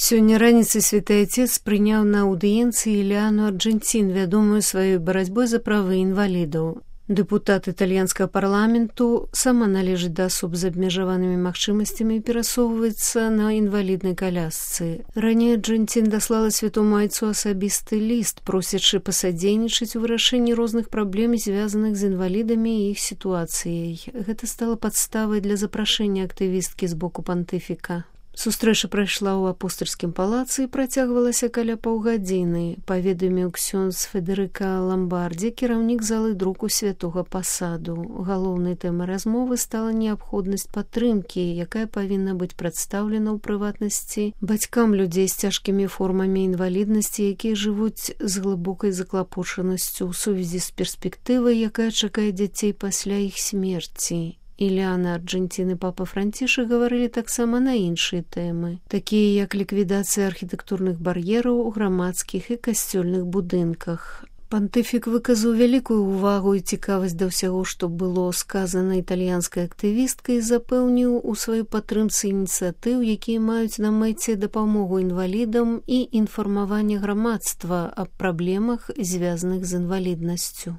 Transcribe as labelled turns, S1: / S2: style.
S1: Сёння раніцай святы Отец прыняў на аўдыенцыі Іліану Арджэнцін, вядомую сваёй барацьбой за правы інвалідаў. Дэпутат італьянскага парламенту, сама належыць да асоб з абмежаванымі магчымасцямі і перасоўваецца на інваліднай калясцы. Раней Арджэнцін даслала святому айцу асабісты ліст, просячы пасадзейнічаць у вырашэнні розных праблем, звязаных з інвалідамі і іх сітуацыяй. Гэта стала падставай для запрашэння актывісткі з боку пантыфіка. Сустрэча прайшла ў апостальскім палацы і працягвалася каля паўгадзіны, паведаміў ксёндз Федэрыка Ламбардзі, кіраўнік залы друку святога пасаду. Галоўнай тэмай размовы стала неабходнасць падтрымкі, якая павінна быць прадстаўлена ў прыватнасці бацькам людзей з цяжкімі формамі інваліднасці, якія жывуць з глыбокай заклапочанасцю ў сувязі з перспектывай, якая чакае дзяцей пасля іх смерці. Іліана Арджэнцін і папа Францішак гаварылі таксама на іншыя тэмы, такія як ліквідацыя архітэктурных бар'ераў у грамадскіх і касцёльных будынках. Пантыфік выказаў вялікую ўвагу і цікавасць да ўсяго, што было сказана італьянскай актывісткай, і запэўніў у сваёй падтрымцы ініцыятыў, якія маюць на мэце дапамогу інвалідам і інфармаванне грамадства аб праблемах, звязаных з інваліднасцю.